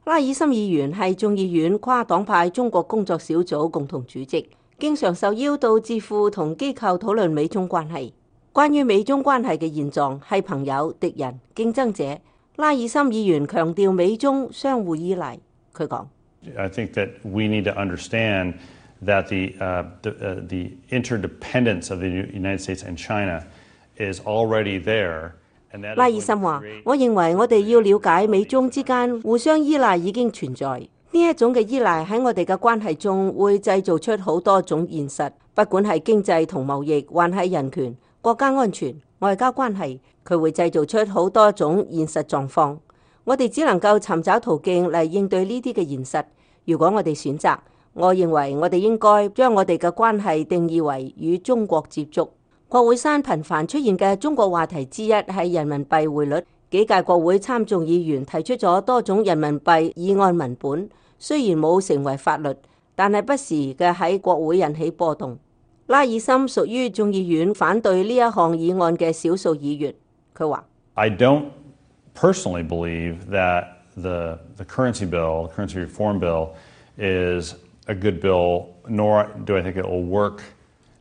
拉爾森議員係眾議院跨黨派中國工作小組共同主席，經常受邀到智庫同機構討論美中關係。關於美中關係嘅現狀，係朋友、敵人、競爭者。拉爾森議員強調美中相互依賴。佢講：I think that we need to understand that the interdependence of the United States and China is already there. 拉爾森話：我認為我哋要了解美中之間互相依賴已經存在，呢一種嘅依賴喺我哋嘅關係中會製造出好多種現實，不管係經濟同貿易，還係人權、國家安全、外交關係，佢會製造出好多種現實狀況。我哋只能夠尋找途徑嚟應對呢啲嘅現實。如果我哋選擇，我認為我哋應該將我哋嘅關係定義為與中國接觸。國會山頻繁出現嘅中國話題之一係人民幣匯率。幾屆國會參眾議員提出咗多種人民幣議案文本，雖然冇成為法律，但係不時嘅喺國會引起波動。拉爾森屬於眾議院反對呢一項議案嘅少數議員。佢話：I don't personally believe that the currency bill, currency reform bill, is a good bill, nor do I think it will work.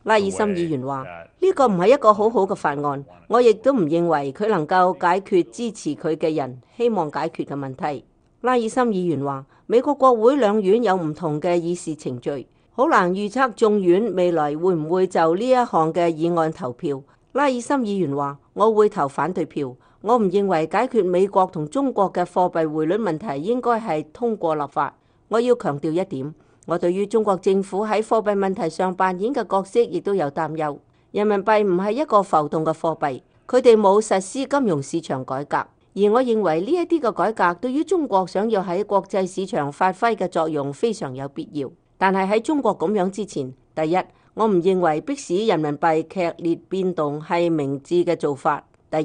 拉爾森議員話：呢個唔係一個好好嘅法案，我亦都唔認為佢能夠解決支持佢嘅人希望解決嘅問題。拉爾森議員話：美國國會兩院有唔同嘅議事程序，好難預測眾院未來會唔會就呢一項嘅議案投票。拉爾森議員話：我會投反對票，我唔認為解決美國同中國嘅貨幣匯率問題應該係通過立法。我要強調一點。我對於中國政府喺貨幣問題上扮演嘅角色亦都有擔憂。人民幣唔係一個浮動嘅貨幣，佢哋冇實施金融市場改革，而我認為呢一啲嘅改革對於中國想要喺國際市場發揮嘅作用非常有必要。但係喺中國咁樣之前，第一，我唔認為迫使人民幣劇烈變動係明智嘅做法。第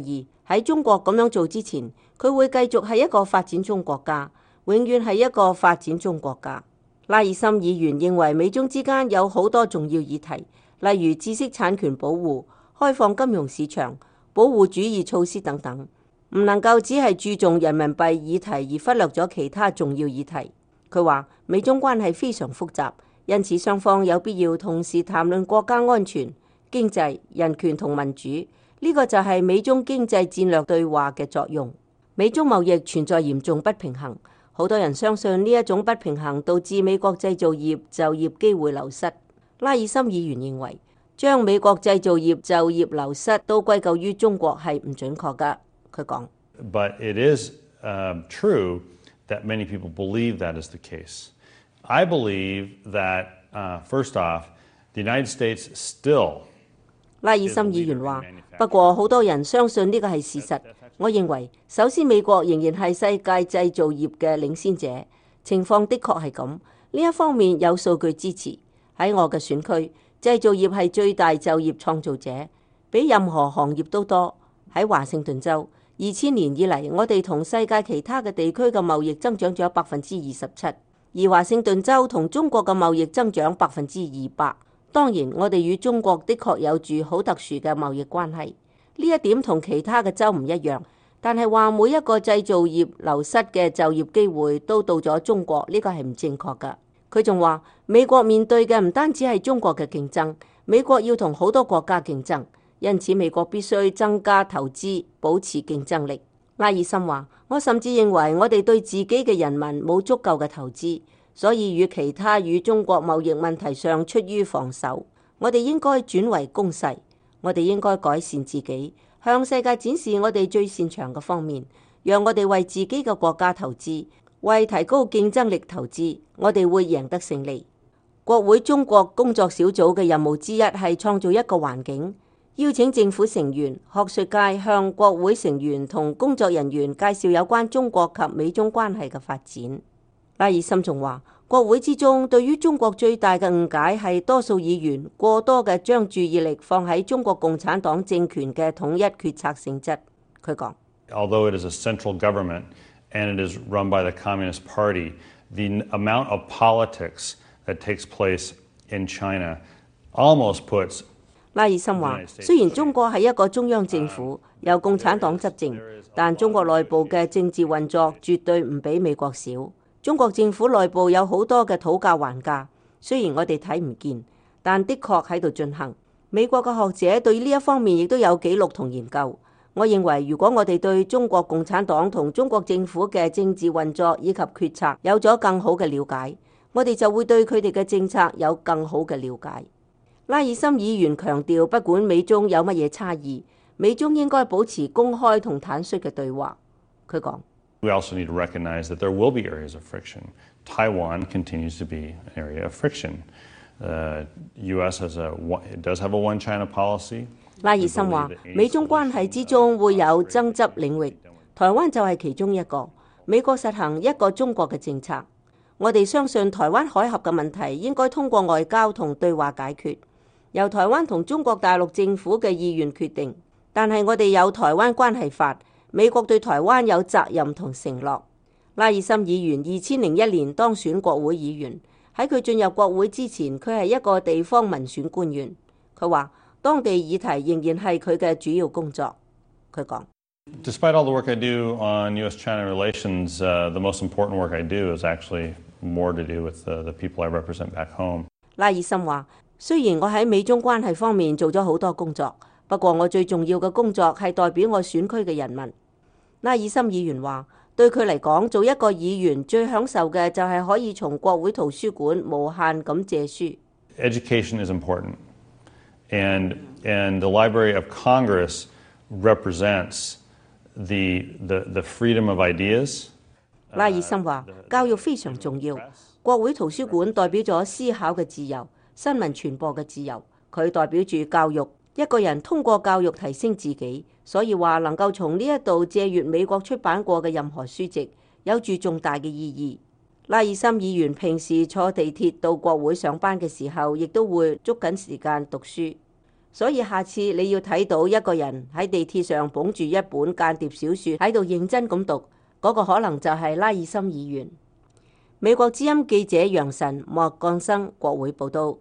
二，喺中國咁樣做之前，佢會繼續係一個發展中國家，永遠係一個發展中國家。拉爾森議員認為美中之間有好多重要議題，例如知識產權保護、開放金融市場、保護主義措施等等，唔能夠只係注重人民幣議題而忽略咗其他重要議題。佢話美中關係非常複雜，因此雙方有必要同時談論國家安全、經濟、人權同民主。呢個就係美中經濟戰略對話嘅作用。美中貿易存在嚴重不平衡。好多人相信呢一種不平衡導致美國製造業就業機會流失。拉爾森議員認為，將美國製造業就業流失都歸咎於中國係唔準確㗎。佢講：But it is true that many people believe that is the case. I believe that first off, the United States still. 拉爾森議員話：不過好多人相信呢個係事實。我認為，首先美國仍然係世界製造業嘅領先者，情況的確係咁。呢一方面有數據支持。喺我嘅選區，製造業係最大就業創造者，比任何行業都多。喺華盛頓州，2000年以嚟，我哋同世界其他嘅地區嘅貿易增長咗27%，而華盛頓州同中國嘅貿易增長200%。當然，我哋與中國的確有住好特殊嘅貿易關係。呢一點同其他嘅州唔一樣，但係話每一個製造業流失嘅就業機會都到咗中國，呢個係唔正確㗎。佢仲話美國面對嘅唔單止係中國嘅競爭，美國要同好多國家競爭，因此美國必須增加投資，保持競爭力。拉爾森話：我甚至認為我哋對自己嘅人民冇足夠嘅投資，所以與其他與中國貿易問題上出於防守，我哋應該轉為攻勢。我哋應該改善自己，向世界展示我哋最擅長嘅方面，讓我哋為自己嘅國家投資，為提高競爭力投資，我哋會贏得勝利。國會中國工作小組嘅任務之一係創造一個環境，邀請政府成員、學術界向國會成員同工作人員介紹有關中國及美中關係嘅發展。拉爾森仲話：國會之中對於中國最大嘅誤解係多數議員過多嘅將注意力放喺中國共產黨政權嘅統一決策性質。佢講：Although it is a central government and it is run by the Communist Party, the amount of politics that takes place in China almost puts. 拉爾森話：雖然中國係一個中央政府，由共產黨執政，但中國內部嘅政治運作絕對唔比美國少。中國政府內部有好多嘅討價還價，雖然我哋睇唔見，但的確喺度進行。美國嘅學者對呢一方面亦都有記錄同研究。我認為，如果我哋對中國共產黨同中國政府嘅政治運作以及決策有咗更好嘅了解，我哋就會對佢哋嘅政策有更好嘅了解。拉爾森議員強調，不管美中有乜嘢差異，美中應該保持公開同坦率嘅對話。佢講：We also need to recognize that there will be areas of friction. Taiwan continues to be an area of friction. U.S. does have a one China policy. 拉爾森話：美中關係之中會有爭執領域，台灣就係其中一個。美國實行一個中國嘅政策，我哋相信台灣海峽嘅問題應該通過外交同對話解決，由台灣同中國大陸政府嘅意願決定。但係我哋有台灣關係法，美國對台灣有責任同承諾。拉爾森議員2001年當選國會議員，喺佢進入國會之前，佢係一個地方民選官員。佢話當地議題仍然係佢嘅主要工作。佢講：Despite all the work I do on U.S.-China relations, the most important work I do is actually more to do with the people I represent back home. 拉爾森話：雖然我喺美中關係方面做咗好多工作，不過我最重要嘅工作係代表我選區嘅人民。拉爾森議員話：對佢嚟講，做一個議員最享受嘅就係可以從國會圖書館無限咁借書。Education is important, and the Library of Congress represents the freedom of ideas. 拉爾森話：教育非常重要，國會圖書館代表咗思考嘅自由、新聞傳播嘅自由，佢代表住教育。一個人通過教育提升自己，所以話能夠從呢一度借閱美國出版過嘅任何書籍，有住重大嘅意義。拉爾森議員平時坐地鐵到國會上班嘅時候，亦都會捉緊時間讀書。所以下次你要睇到一個人喺地鐵上捧住一本間諜小說喺度認真咁讀，嗰個可能就係拉爾森議員。美國之音記者楊晨、莫幹生，國會報道。